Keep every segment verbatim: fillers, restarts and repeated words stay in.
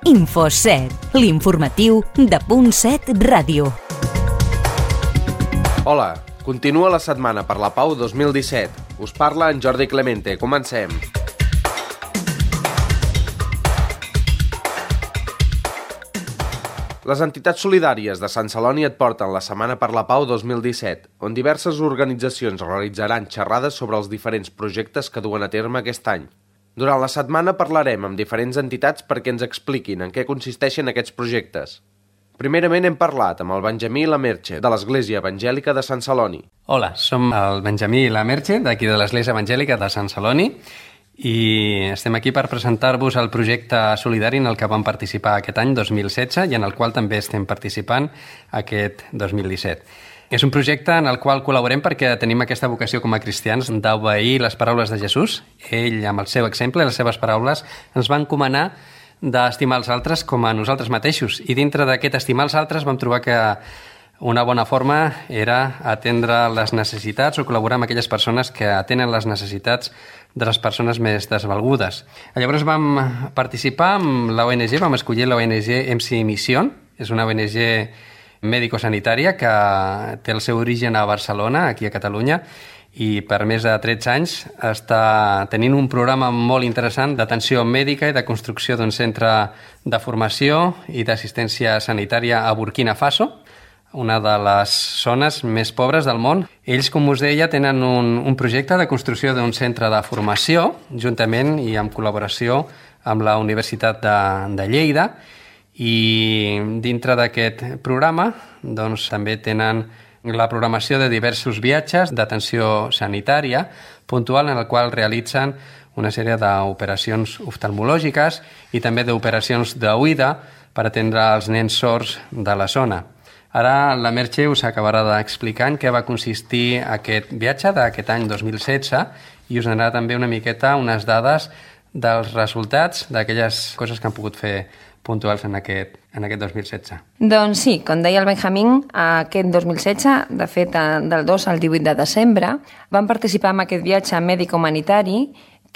Info set, l'informatiu de Punt set Ràdio. Hola, continua la setmana per la Pau dos mil disset. Us parla en Jordi Clemente. Comencem. Les entitats solidàries de Sant Celoni et porten la Setmana per la Pau dos mil disset, on diverses organitzacions realitzaran xerrades sobre els diferents projectes que duen a terme aquest any. Durant la setmana parlarem amb diferents entitats perquè ens expliquin en què consisteixen aquests projectes. Primerament hem parlat amb el Benjamí Lamerche, de l'Església Evangèlica de Sant Celoni. Hola, som el Benjamí Lamerche, d'aquí de l'Església Evangèlica de Sant Celoni, i estem aquí per presentar-vos el projecte solidari en el que vam participar aquest any dos mil setze i en el qual també estem participant aquest dos mil disset. És un projecte en el qual col·laborem perquè tenim aquesta vocació com a cristians d'obeir les paraules de Jesús. Ell, amb el seu exemple i les seves paraules, ens va encomanar d'estimar els altres com a nosaltres mateixos. I dintre d'aquest estimar els altres vam trobar que una bona forma era atendre les necessitats o col·laborar amb aquelles persones que atenen les necessitats de les persones més desvalgudes. Llavors vam participar amb l'O N G, vam escollir l'O N G M C Mission, és una O N G mèdico-sanitària que té el seu origen a Barcelona, aquí a Catalunya, i per més de tretze anys està tenint un programa molt interessant d'atenció mèdica i de construcció d'un centre de formació i d'assistència sanitària a Burkina Faso, una de les zones més pobres del món. Ells, com us deia, tenen un, un projecte de construcció d'un centre de formació, juntament i en col·laboració amb la Universitat de, de Lleida, i dintre d'aquest programa doncs, també tenen la programació de diversos viatges d'atenció sanitària puntual en el qual realitzen una sèrie d'operacions oftalmològiques i també d'operacions d'oïda per atendre els nens sords de la zona. Ara la Merche us acabarà d'explicar en què va consistir aquest viatge d'aquest any dos mil setze i us donarà també una miqueta unes dades dels resultats d'aquelles coses que han pogut fer puntuals en aquest, en aquest dos mil setze. Doncs sí, com deia el Benjamín, aquest dos mil setze, de fet del dos al divuit de desembre, vam participar en aquest viatge mèdic-humanitari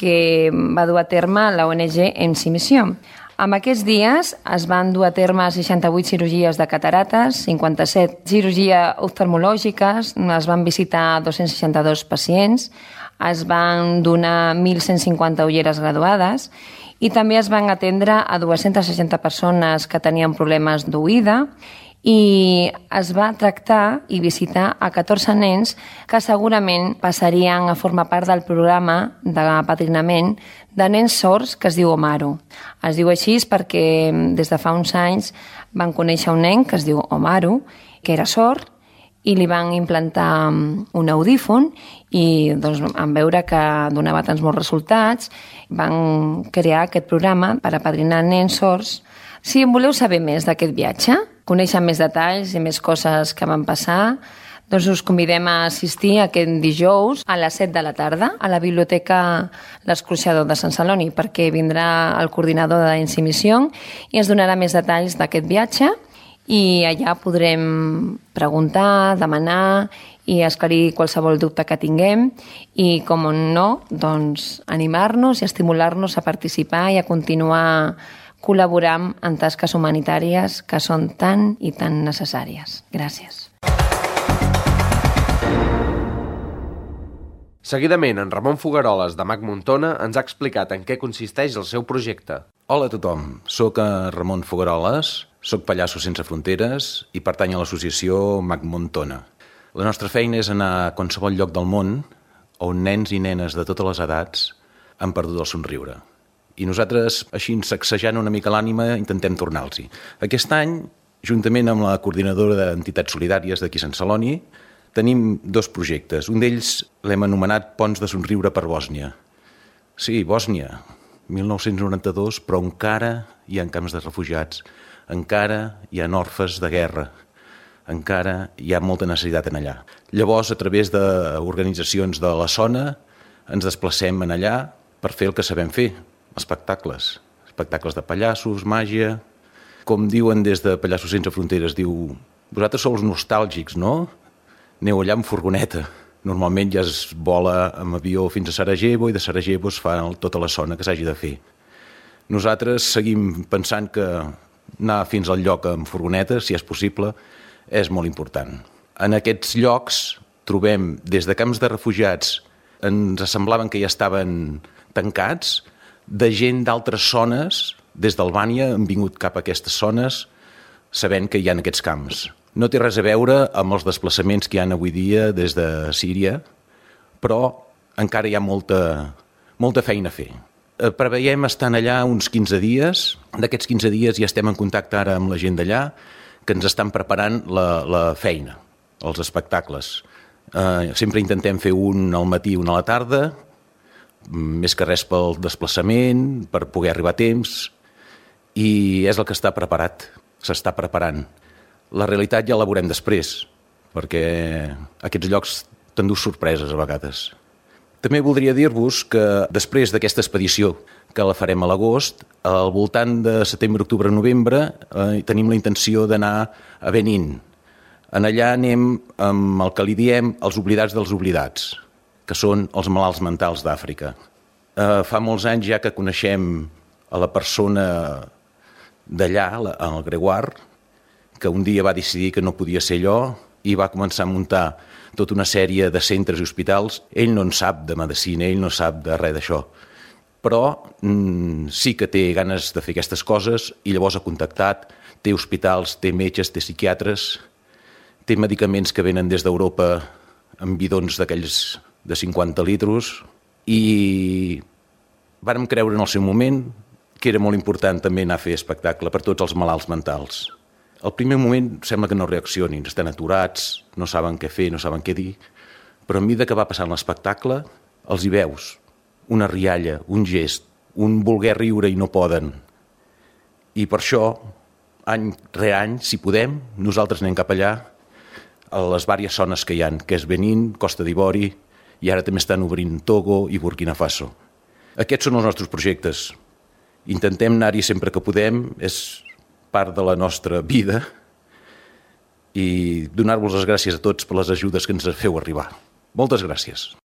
que va dur a terme la O N G M C Mission. En aquests dies es van dur a terme seixanta-vuit cirurgies de catarates, cinquanta-set cirurgies oftalmològiques, es van visitar dos-cents seixanta-dos pacients, es van donar mil cent cinquanta ulleres graduades i també es van atendre a dues-centes seixanta persones que tenien problemes d'oïda i es va tractar i visitar a catorze nens que segurament passarien a formar part del programa d'apadrinament de nens sords que es diu Omaro. Es diu així perquè des de fa uns anys van conèixer un nen que es diu Omaro, que era sord, i li van implantar un audífon i doncs, en veure que donava tants molts resultats van crear aquest programa per apadrinar nens sords. Si en voleu saber més d'aquest viatge, conèixer més detalls i més coses que van passar, doncs us convidem a assistir aquest dijous a les set de la tarda a la Biblioteca L'Escorxador de Sant Celoni perquè vindrà el coordinador de M C Mission i ens donarà més detalls d'aquest viatge i allà podrem preguntar, demanar i esclarir qualsevol dubte que tinguem i, com no, doncs animar-nos i estimular-nos a participar i a continuar col·laborant en tasques humanitàries que són tan i tan necessàries. Gràcies. Seguidament, en Ramon Fogueroles, de Mac Montona, ens ha explicat en què consisteix el seu projecte. Hola a tothom, soc Ramon Fogueroles, soc pallasso sense fronteres i pertany a l'associació Mac Montona. La nostra feina és anar a qualsevol lloc del món on nens i nenes de totes les edats han perdut el somriure. I nosaltres, així sacsejant una mica l'ànima, intentem tornar-los-hi. Aquest any, juntament amb la coordinadora d'entitats solidàries d'aquí a Sant Celoni, tenim dos projectes. Un d'ells l'hem anomenat Ponts de Somriure per Bòsnia. Sí, Bòsnia, mil nou-cents noranta-dos, però encara hi ha camps de refugiats, encara hi ha orfes de guerra, encara hi ha molta necessitat en allà. Llavors, a través d'organitzacions de la zona, ens desplacem en allà per fer el que sabem fer, espectacles. Espectacles de pallassos, màgia. Com diuen des de Pallassos Sense Fronteres, diu, vosaltres sou els nostàlgics, no? Aneu allà amb furgoneta. Normalment ja es vola amb avió fins a Sarajevo i de Sarajevo es fa tota la zona que s'hagi de fer. Nosaltres seguim pensant que anar fins al lloc amb furgonetes, si és possible, és molt important. En aquests llocs trobem des de camps de refugiats, ens semblaven que ja estaven tancats, de gent d'altres zones, des d'Albània han vingut cap a aquestes zones sabent que hi ha aquests camps. No té res a veure amb els desplaçaments que hi ha avui dia des de Síria, però encara hi ha molta, molta feina a fer. Preveiem estar allà uns quinze dies. D'aquests quinze dies ja estem en contacte ara amb la gent d'allà, que ens estan preparant la, la feina, els espectacles. Eh, sempre intentem fer un al matí i un a la tarda, més que res pel desplaçament, per poder arribar a temps, i és el que està preparat, s'està preparant. La realitat ja la veurem després, perquè aquests llocs t'endús sorpreses a vegades. També voldria dir-vos que després d'aquesta expedició, que la farem a l'agost, al voltant de setembre, octubre, novembre, eh, tenim la intenció d'anar a Benín. En allà anem amb el que li diem els oblidats dels oblidats, que són els malalts mentals d'Àfrica. Eh, fa molts anys ja que coneixem a la persona d'allà, el Gregoire, que un dia va decidir que no podia ser allò i va començar a muntar tota una sèrie de centres i hospitals. Ell no en sap de medicina, ell no sap de res d'això, però mm, sí que té ganes de fer aquestes coses i llavors ha contactat, té hospitals, té metges, té psiquiatres, té medicaments que venen des d'Europa en bidons d'aquells de cinquanta litros i vàrem creure en el seu moment que era molt important també anar a fer espectacle per tots els malalts mentals. Al primer moment sembla que no reaccionin, estan aturats, no saben què fer, no saben què dir, però a mesura que va passant l'espectacle els hi veus una rialla, un gest, un voler riure i no poden. I per això, any rere any, si podem, nosaltres anem cap allà a les diverses zones que hi ha, que és Benín, Costa d'Ivori, i ara també estan obrint Togo i Burkina Faso. Aquests són els nostres projectes. Intentem anar-hi sempre que podem, és part de la nostra vida, i donar-vos les gràcies a tots per les ajudes que ens feu arribar. Moltes gràcies.